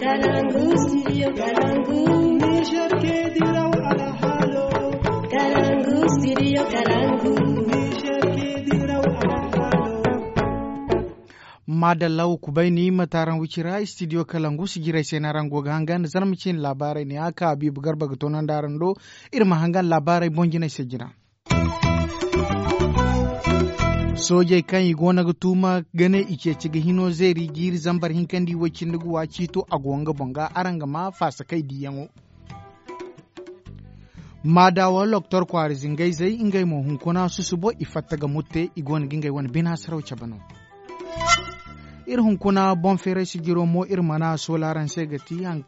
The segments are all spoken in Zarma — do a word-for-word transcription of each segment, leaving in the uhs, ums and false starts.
Kalangu, studio Kalangu. Niger ke diraw alhalo. Kalangu, studio Kalangu. Niger ke diraw alhalo. Maadalla, wa kubay ni ma taaraŋ wicira studio Kalangu si jiray se no araŋ go ga hangan zarma ciine laabaarey ne a ka Habiibu Garba ga toonandi araŋ do. Iri ma hangan laabaarey boŋ jinay se jina. Soojey kaŋ i goono ga tuuma ga ne i ceeci ga hino zeeri jiiri zambar hinkandi way cindi ga wa ciito a go nga boŋ ga araŋ ga ma faasakay diiyaŋo. Maadawa loktor kwaara zingayzey ngey mo hunkuna susubo i fatta ga mutte i goono ga ngey wane bina saraw cabe no. Iri hunkuna boŋ feeray sijiro mo iri mana soola araŋ se ga ti haŋ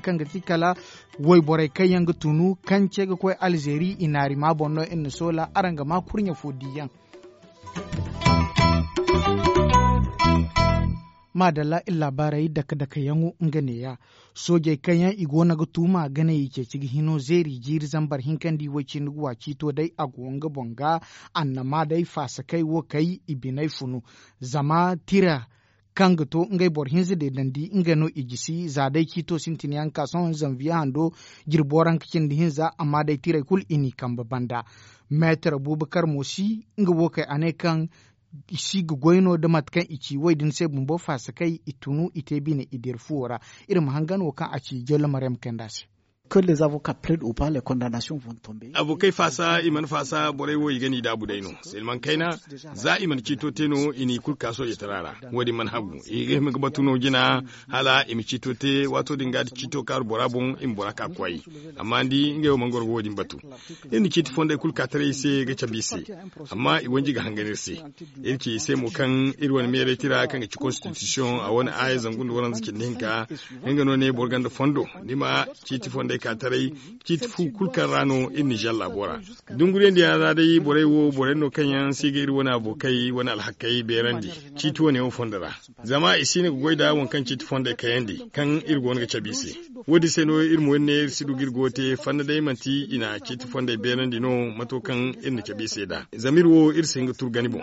kaŋ ga ti kala wayborey kaŋ yaŋ ga tunu kance ga koy alzeeri i naari ma boŋ no iri na soola araŋ ga ma kurɲe fo diiyaŋ. Maadalla iri laabaarey dake dake yaŋo nga neeya. Soojey kaŋ yaŋ i goono ga tuuma ga ne i ceeci ga hino zeeri jiiri zambar hinkandi way cindi ga wa ciito day a go nga boŋ ga annama day faasakay wo kay i biney funu. Zama tira kaŋ ga to ngey boro hinza deedandi nga no i jisi za day ciito sintin yaŋ ka sohõ zanviye hando jirbo ranka cindi hinza amma day tirey kulu i n'i kambe banda. Meetar buubakar mo si nga wo kay a ne kaŋ i si ga goy no nda mate kaŋ i ci wo- din se bumbo faasakay i tunu i te bine i dira fuwo ra. Iri ma hangan wo kaŋ a ci jollo maryam kayanda se. Abokey faasa i mana faasa borey wo i ga n'i daabu day no. Silmaŋ kayna za i mana ciito te no i n'i kulu ka soojey tara ra. Wo- din mana hagu i ga hima ga batu no jina hala i ma ciito te waato din ga da ciito kaaru bora boŋ i ma bora ka koy. Amma ni di ngey wo mana goro ga wo- din batu. Iri na ciiti fondey kulu ka taray i se ga cabe i se. Amma i wanji ga hangan iri se. Iri ci i se mo kaŋ iri wane meeray tira kaŋ ga ci konstitisiyoŋ a wane aaya zangu nda waranza cindi hinka. Nga no ne boro ganda fondo ni ma ciiti fondey ka taray. Ciiti fu kulu kaŋ ra no iri na zalla bora. Dunguriyandiyaŋ ra day borey wo borey no kaŋ yaŋ si ga iri wane abokey wane alhakey beerandi ciiti wane wo fondo ra. Zama i si no ga goy nda waŋ kaŋ ciiti fondey kayandi kaŋ iri go no ga cabe i se. Wo- din se no iri mo iri ne iri si du ga iri go te fanda day manti i na ciiti fondey beerandi no mato kaŋ iri na cabe i se nd'a. Zama iri wo iri si hin ga turgani boŋ.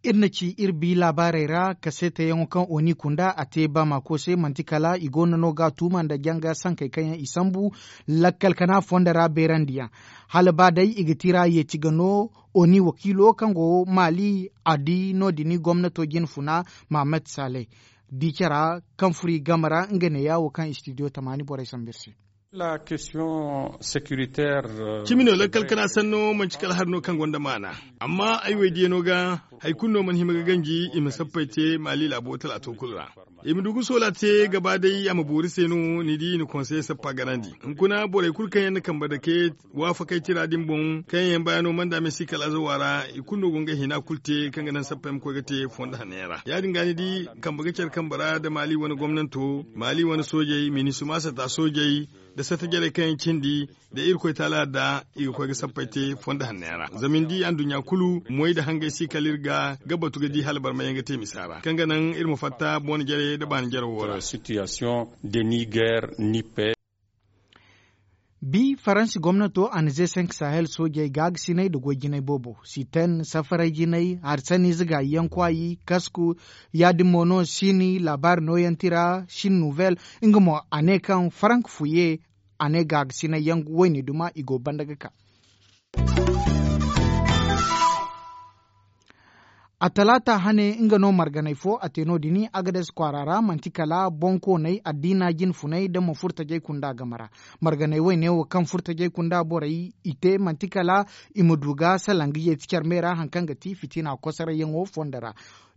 Iri na ci iri bi laabaarey ra kaseetayaŋo kaŋ oni kunda a te baamako se manti kala i goono no ga a tuuma nda janga sankey kaŋ yaŋ i sambu lakkal kana fondo ra beerandiyaŋ. Hala ba day i ga tira yeeti ga no oni wakiilo kaŋ go maali a di no- din gomnato jinfuna mahammad saleh. Di cara kaŋ furo i game ra nga neeya wo kaŋ istidiyo tamaani borey sambu iri se. Cimi no lakkal kana sanno manci kala hari no kaŋ gonda maana. Amma ay woy diyano ga hari kulu no mana hima ga ganji i ma sappey te maali laabo talaato kulu ra. I ma du ga soola te gaba day a ma boori se no ni di i na konseye sappa ganandi. Hunkuna borey kulu kaŋ yaŋ na kambe dake waafakey tira din boŋ kaŋ yaŋ bayaano manda me si kala azawa ra i kulu no go ngey hina kulu te kaŋ ga naŋ sappey ma koy ga te fondo hanno yaŋ ra ya- din ga ni di kambe ga care kambe ra nda maali wane gomnanto maali wane soojey minisuma sata soojey nda sata jarey kaŋ yaŋ cindi nda irkoy taala da i ga koy ga sappey te fondo hanno yaŋ ra zama ni di anduɲɲa kulu moy nda hangey si kala iri ga ga batu ga di hala barma yaŋ ga te misa ra kaŋ ga naŋ iri ma fatta boŋ jarey nda baani jare wo ra. Bi faransi gomnato a na ze senk sahel soojey gaagasiney nda goy jinay boobo siten safaray jinay hari sanni ize gaayi yaŋ kwaayi kasku ya- din mo no sini laabaari nooyaŋ tira sini nuvel nga mo a ne kaŋ farank fuye a ne gaagasiney yaŋ wayne duma i go banda ga ka. A talaata hane nga no marganay fo a te no- din agades kwaara ra manti kala boŋkooney addiina jinfuney nda mo furtajey kunda game ra. Marganey wayne wo kaŋ furtajey kunda borey i te manti kala i ma du ga salaŋ ga yeeti care me ra hari kaŋ ga ti fitina kosorayyaŋo fondo ra.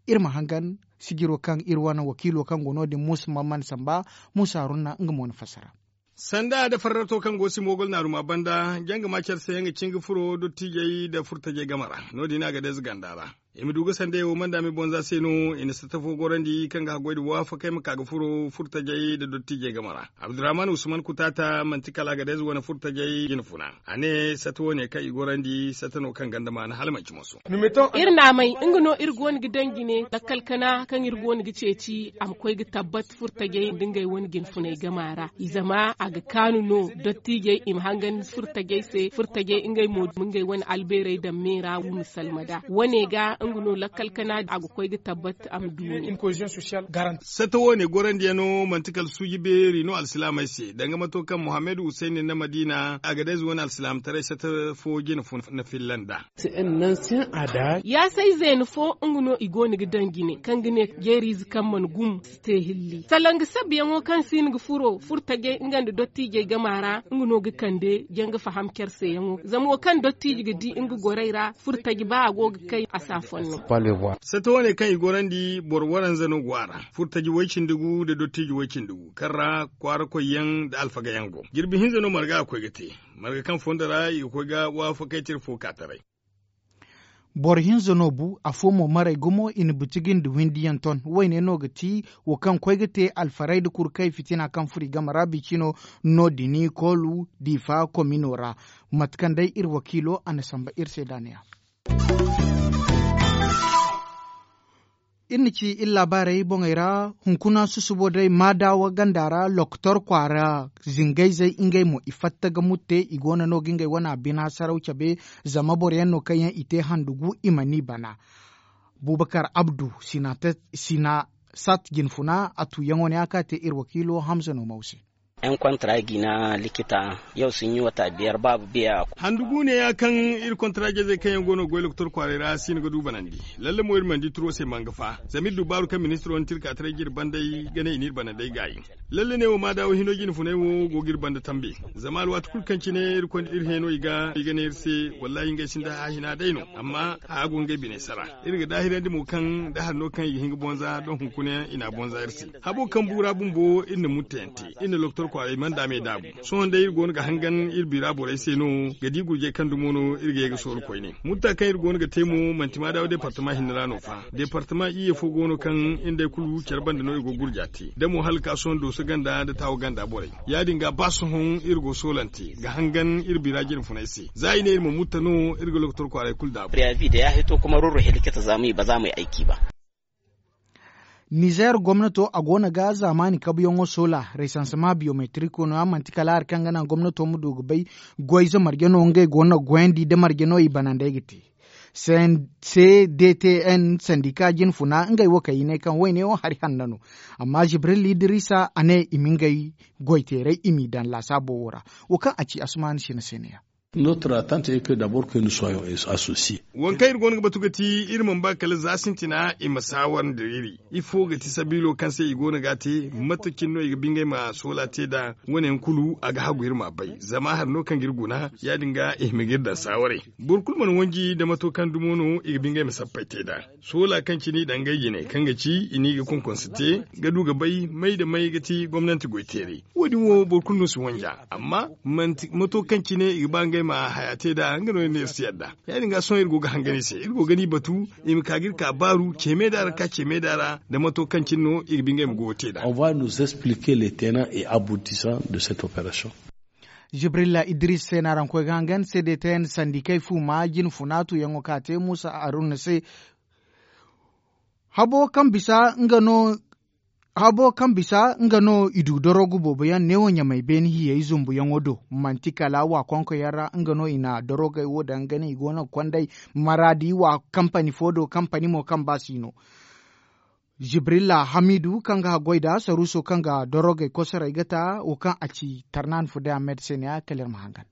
Iri ma hangan sijiro kaŋ iri wane wakiilo kaŋ go no- din muusa mamman samba muusa haruna nga mo na fassara. Sanda nda farrato kaŋ go si moogol naaruma banda janga ma care se nga cin ga furo dottiijey nda furtajey game ra no- din a ga deeza ganda ra. I ma du ga sanday wo manda me bonza se no i na sata fo gorandi kaŋ ga haggoy nda waafakey ma ka ga furo furtajey nda dottiijey game ra. Abdurrahman usman kutaata manti kala a ga deeza wane furtajey jinfuna. A ne sata wo- ne kaŋ i gorandi sata no kaŋ ganda maana hala manci moso. Iri naamay nga no iri go no ga daŋ jine lakkal kana kaŋ iri go no ga ceeci a ma koy ga tabbat furtajey nda ngey wane jinfuney gama ra i zama a ga kaanu no dottiijey i ma hangan furtajey se furtajey ngey mo ma ngey wane albeerey daŋ me ra wu ma salma nd'a wane ga. Nga no lakkal kana a ga koy ga tabbat a ma du. Satta wo- ne gorandiyano manti kala suuji beeri no alsilaamey se danga mato kaŋ muhammad husayni na madiina a ga day zuwa na alsilaamataray satta fo jina fo na filla nd'a. Ya say zeena fo nga no i go no ga daŋ jine kaŋ ga ne jeeriize kaŋ mana gum si te hilli salanga sabbiyaŋo kaŋ si hin ga furo furtajey nga nda dottiijey gama ra nga no ga kande janga faham care seyaŋo zama wo kaŋ dottiije ga di nga gorey ra furtaji ba a go ga kay a si a fonno. Satta wane kaŋ i gorandi boro waranza no go a ra furtaji way-cindi gu nda dottiije way-cindi gu kaŋ ra kwaara koyyaŋ nda alfagayaŋ go jirbi hinza no marga a koy ga te. Marga kaŋ fondo ra i ga koy ga waafakay tira fo ka taray. Boro hinza no bu afo mo maray gumo i na bitigi nda windiyaŋ ton wayne no ga ti wo kaŋ koy ga te alfaray nda kurkay fitina kaŋ furo i game ra bicino no- din koolu diifa komino ra. Mate kaŋ day iri wakiilo a na samba iri se da a ne ya. Iri na ci iri laabaarey boŋey ra hunkuna susubo day maadawa ganda ra lokotor kwaara zingayzey ngey mo i fatta ga mutte i go no no ga ngey wana bina saraw cabe. Zama boro yaŋ no kaŋ yaŋ i te handugu i mana i bana. Bubakar abdu sina sat jinfuna a tuuyaŋo ne a ka te iri wakiilo hamza no maw se. Yan kontara jina likita yau sun yi wata biyar babu biya. Handu guune ya kaŋ iri kontara jazey kaŋ yaŋ go no ga goy lokotor kwaaray ra si no ga du banandi. Lalle mo iri mana di turo se manga fa zama iri du baaru kaŋ ministiro na tirka taray ga iri bandey ga ne i n'iri banandey gaayi. Lalle ne wo ma daawo hino jine funay wo go ga iri banda tambe. Zama alwaati kulu kaŋ cine iri heno i ga ne iri se, wallahi ngey sinda hahina day no. Amma haya go ngey biney sara. Iri ga daahirandi mo kaŋ da hari no kaŋ i ga hin ga bonza doŋ hunkuna i n'a bonza iri se. Habo kaŋ buura bumbo iri na muttayaŋ te. Iri na lokotor kwaaray mana daamey daabu. Sohõ day iri go no ga hangan iri bira borey se no ga di gurjey kaŋ dumo no iri ga ye ga sooru koyne. Mutta kaŋ iri go no ga te mo manti maadawa departama hinne ra no fa. Departama iyye fo go no kaŋ iri nd'ey kulu care banda no iri go ga gurja te da mo hala ga ka sohõ dooso ganda nda taawo ganda borey. Ya- din ga ba sohõ iri go soolante ga hangan iri bira jine funay se za i ne iri ma mutta no iri ga lokotor kwaaray kulu daabu. Nizer gomnato a go no ga zaamaani kabuyaŋo soola resansema biyometiriko no a manti kala hari kaŋ ga naŋ gomnato ma du ga bay goy za marje no ngey go no ga goyandi nda marje no i banandey ga te. Cdtn sandika jine funa ngey wo kay i ne kaŋ wayne wo hari hanno no. Amma jibril idrisa a ne i ma ngey goyteeray i m'i daŋ laasaabo wo ra. Wo kaŋ a ci asumaani sina se ne ya. Notre attente est que d'abord que nous soyons associés. Waŋ kaŋ iri go no ga batu ga ti iri mana ba kala za sintina i ma saawar nda iri. Ifo ga ti sabiilo kaŋ se i go no ga a te? Mate cine no i ga ba ngey ma soola te nd'a? Wane yaŋ kulu a ga hagu iri m'a bay zama hari no kaŋ ga iri guna. Ya- din ga i hima ga iri daŋ saawaray. Boro kulu mana wanji nda mato kaŋ dumo no i ga ba ngey ma sappey te nd'a. Soola kaŋ cine i daŋ ngey jine kaŋ ga ci i n'i ga konkonse te ga du ga bay may nda may ga ti gomnanti goyteeray. Wo- din wo boro kulu no si wanja amma manti mato kaŋ cine i ga ba ngey ma haya te nd'a nga no iri ne iri si yadda. Ya- din ga sohõ iri go ga hangan i se iri go ga ni batu i ma ka ga iri ka baaru ceeme da ra ka ceeme da ra nda mato kaŋ cine no i ga ba ngey ma goyo te nd'a. On va nous expliquer les tenants et aboutissants de cette opération. Jibrilla idris se no araŋ koy ga hangan se de tayan sandikey fu ma jine funa tuuyaŋo ka te muusa haruna se. Habo kaŋ bisa nga no habo kaŋ bisa nga no i du dorogu boobo yaŋ neewo ɲamay beene hiyey zumbuyaŋo do. Manti kala wa konko yaŋ ra nga no i na dorogey wo daŋ ga ne i go no ga konday maraadi wa kampani fo do kampani mo kaŋ ba si no. Jibrilla hamidu kaŋ ga haggoy nd'a saruuso kaŋ ga dorogey kosorey ga ta wo kaŋ a ci tarnaani fo day a meeda se ne ya kala iri ma hangan.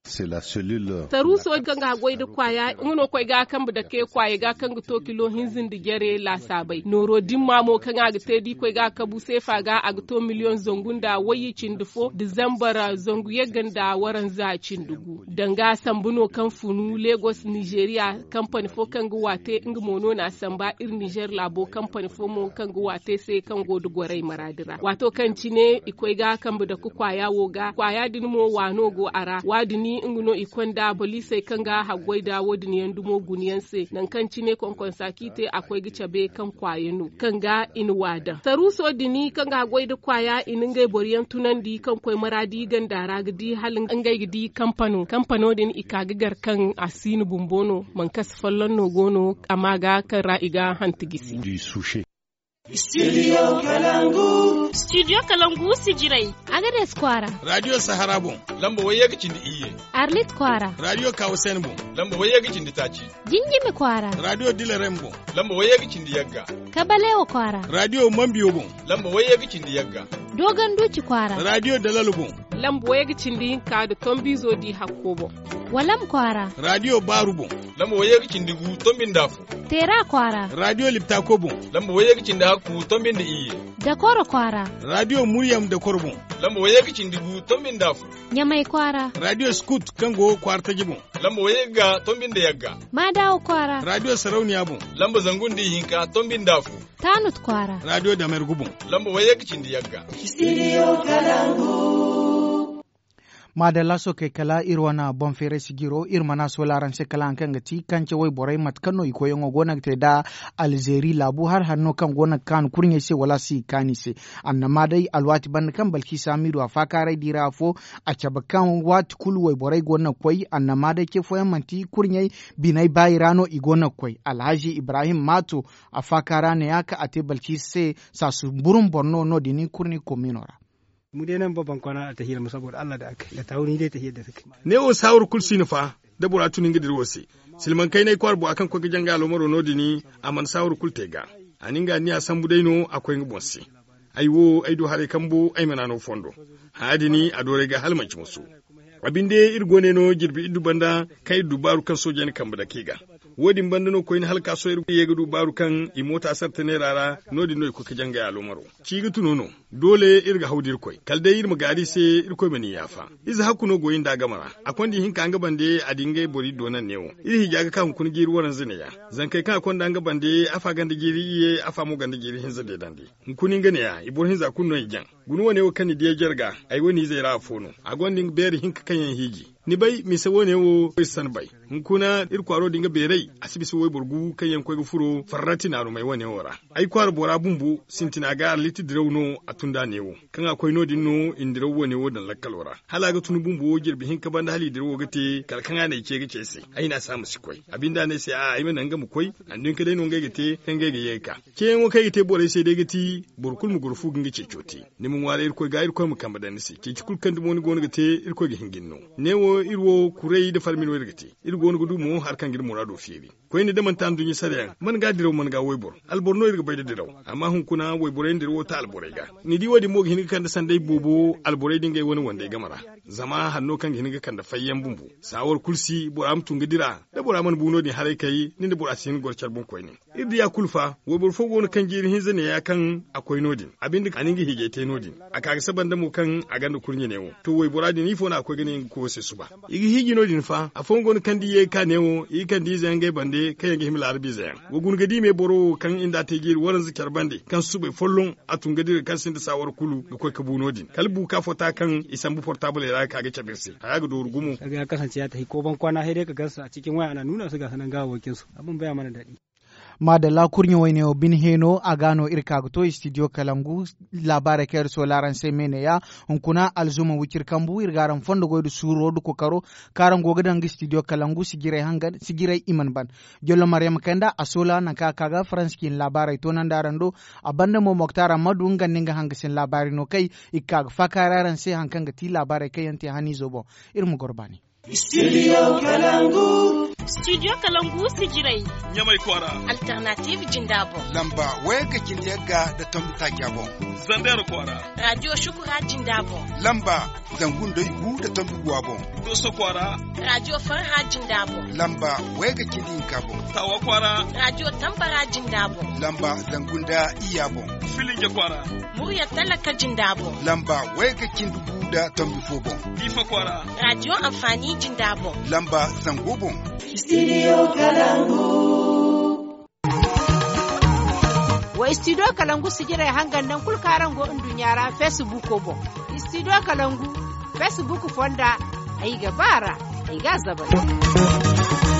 Saruuso kaŋ ga haggoy nda kwaaya nga no koy ga a kambe dake kwaayey ga kaŋ ga to kilo hinza nda jare laasaabey nooro dimma mo kaŋ a ga te da i koy ga a kabu seefa ga a ga to miliyoŋ zangu nda wayye cindi fo da zambar zangu yagga nda waranza cindi gu. Danga sambu no kaŋ funu legos nizeeriya kampani fo kaŋ ga waate nga mo no n'a samba iri nizer laabo kampani fo mo kaŋ ga waate se kaŋ go nda gorey maraadi ra waato kaŋ cine i koy ga kambe dake kwaaya wo ga kwaaya din mo waano go a ra waadini nga no i konda boliisey kaŋ ga haggoy nda wo- din yaŋ dumo guna yaŋ se nangu kaŋ cine konkonsa kaŋ i te a koy ga cabe kaŋ kwaaya no kaŋ ga i na waa daŋ saruuso din kaŋ ga haggoy nda kwaaya i na ngey boro yaŋ tunandi kaŋ koy maraadi ganda ra ga di hala ngey ga di kampano kampano din i ka ga gar kaŋ a si no bumbo no. Mankasi folloŋ no go no a ma ga kaŋ ra i ga hanti gisi. Studio Kalangu. Studio Kalangu sijirey. Agades kwaara. Radio Sahara boŋ. Lamba wayye ga cindi iyye. Arlit kwaara. Radio Kawusen boŋ. Lamba wayye ga cindi taaci. Jinjimi kwaara. Radio Dilerem boŋ. Lamba wayye ga cindi yagga. Kabalewa kwaara. Radio Mambiyo boŋ. Lamba wayye ga cindi yagga. Dogon Duci kwaara. Radio Dalal boŋ. Lamba wayye ga cindi hinka da tombizo di hakko boŋ. Walam kwaara. Radio Baaru boŋ. Lamba wayye ga cindi gu tombi nda afo. Teera kwaara. Radio Liptako boŋ. Lamba wayye ga cindi hakku tombi nda iyye. Dakoro kwaara. Radio Muryam Dakoro boŋ. Lamba wayye ga cindi gu tombi nda afo. Ɲamay kwaara. Radio Scoot kaŋ go kwaara taji boŋ. Lamba wayye ga tombi nda yagga. Maadawa kwaara. Radio Sarauniya boŋ. Lamba zangu nda ihinka tombi nda afo. Tanut kwaara. Radio Damergu boŋ. Lamba wayye ga cindi yagga. Studio Kalangu. Maadalla sookey kala iri wane boŋ feeray sijiro iri mana soola araŋ se kala haŋ kaŋ ga ti kance wayborey mate kaŋ no i koyyaŋo go no ga te nda Alzeeri laabu hari hari no kaŋ go no ga kaanu kurɲey se wala a si kaanu i se. Annama day alwaati banda kaŋ Balkisa Hamidu a faakaaray di ra afo a cabe kaŋ waati kulu wayborey go no ga koy annama day ce fooyaŋ manti kurɲey biney baayi ra no i go no ga koy. Alhazi Ibrahim Maato a faakaara ne ya kaŋ a te Balkisa se saasu burum boro no no- din kurni komiino ra. Mu day naŋ babban kwana a tahiya ma saboda Allah da aka da tawo ni day tahiya da suka. Ne wo saawar kulu si no fa da bora tun nga dira wo se. Silman kaynay kwaara bora kaŋ koy ga janga alomaro no- din a mana saawar kulu te ga. A na nga anniya sambu day no a koy nga boŋ se. Ay wo ay du haray kambo ay mana no fondo. Hã din a dooray ga hala manci musu. A binde iri go ne no jirbi iddu banda kaŋ iri du baaru kaŋ soojey na kambe dake ga. Wo- din banda no koyne hala ka sohõ iri ye ga du baaru kaŋ i moota sarta neera ra. No- din no i koy ga jangay alomaro. Ci ga tunu no. Doole iri ga haw da irkoy kala day iri ma gaaru i se. Irkoy ma ni yaafa. Ize hakku no go iri nda a game ra. A konda ihinka nga bande a di ngey boro iri do naŋ neewo. Iri hija ga ka hunkuna jiiri waranza neeya. Zankey kaŋ a konda nga bande afa ganda jiiri iyye afa mo ganda jiiri hinza deedandi. Hunkuna nga neeya i boro hinza kulu no i jaŋ. Guna wane wo kaŋ ni di ay jare ga ay wane izey ra afo no. A gonda nga beeri hinka kaŋ yaŋ hiiji. Ni bay mise wane wo iri san bay. Hunkuna iri kwaaro din ga beeray a si bisa wayboro gu kaŋ yaŋ koy ga furo farrati naarumey wane wo ra. Ay kwaara bora bumbo sintina ga arliti diraw no a tun da neewo. Kaŋ a koy no- din no i na diraw wane wo daŋ lakkalo ra hala a ga tun bumbo jirbi hinka banda hala i dirawo ga te kala kaŋ a na ay ce ga ce ay se. Ay ne a se a ma si koy a binde a ne ay se a'a ay ma naŋ nga ma koy. Anduɲka day no ngey ga te kaŋ ngey ga ye ga ka. Ceeyaŋo kaŋ ay ga te borey se day ga ti boro kulu ma goro fu ga nga ceeco te. Ni ma ŋwaaray irkoy ga irkoy ma kambe daŋ ni se ceeci kulu kaŋ dumo ni go no ga te. Irkoy ga hin ga ni no. Neewo iri wo kuray nda farmi no iri ga te. Iri go no ga du mo hari kaŋ ga iri muraado feeri. Koyne da manti anduɲɲa sarayaŋ man ga diraw man ga wayboro alboro no iri ga bay nda diraw. Amma hunkuna wayborey nda iri wo ta alborey ga. Ni di wo- din mo ga hin ga kande sanday boobo alborey nda ngey wane wandey game ra. Zama hari no kaŋ ga hin ga kande fayyaŋ bumbo. Saawar kulu si bora ma tun ga dira da bora mana bu no- din haray kay ni nda bora si hin ga goro care boŋ koyne. Iri diya kulu fa wayboro fo go no kaŋ jiiri hinza neeya kaŋ a koy no- din a binde a na nga hiijay te no- din. A ka ga saba nda mo kaŋ a gonda kurɲe neewo to waybora din ifo no a koy ga ne nga koyo se suba. I ga hiiji no- din fa afooyaŋ go no kaŋ da i ye ga ka neewo i ga kande ize yaŋ ngey bande kaŋ yaŋ ga hima laarabu ize yaŋ. Wa guna ga di me boro wo kaŋ i nda a te jiiri waranza care bande kaŋ subay folloŋ a tun ga dira kaŋ sinda saawar kulu ga koy ga bu no- din kala buuka fota kaŋ i sambu portabley ra ga ka ga cabe iri se haya ga dooru gumo. Kaga ya kasance ya tahi ko bankwaana hay day ka gansa a cikin waya ana nuna su ga sanan gawawakin su abin baya mana daɗi. Maadalla kurɲe wayne wo bine heeno a ga no iri ka ga to studio kalangu. Laabaarey kaŋ iri soola araŋ se me ne ya hunkuna alzuma wiciri kambu iri ga araŋ fondo goy nda suuro nda kokaro kaŋ araŋ go ga daŋ ga studio kalangu sijirey hangan sijirey i mana ban. Jollo maryama kay nda a soola nangu kaŋ a ka ga faransa ciine laabaarey toonandi araŋ do. A banda mo moktar ammadu nga nda nga hangasin laabaarey no kay i ga ka ga faakaaray araŋ se hari kaŋ ga ti laabaarey kaŋ yaŋ te haniizo boŋ. Iri ma goro baani. Studio kalangu. Studio kalangu sijirey. Ɲamay kwaara. Alternative jinda boŋ. Lamba wayga cindi yagga nda tombi taaca boŋ. Zander kwaara. Radio shukura jinda boŋ. Lamba zangu nda igu nda tombi guwa boŋ. Doso kwaara. Radio farha jinda boŋ. Lamba wayga cindi hinka boŋ. Tawa kwaara. Radio tambara jinda boŋ. Lamba zangu nda iyya boŋ. Filinge kwaara. Murya talaka jinda boŋ. Lamba wayga cindi gu nda tombi fo boŋ. Difa kwaara. Radio amfani jinda boŋ. Lamba zango boŋ. Studio kalangu. Wa studio kalangu sijirey hangan naŋ kulu kaŋ araŋ go nduɲɲa ra facebook boŋ. Studio kalangu facebook fonda. Ay ga ba ra. Ay ga a zabari.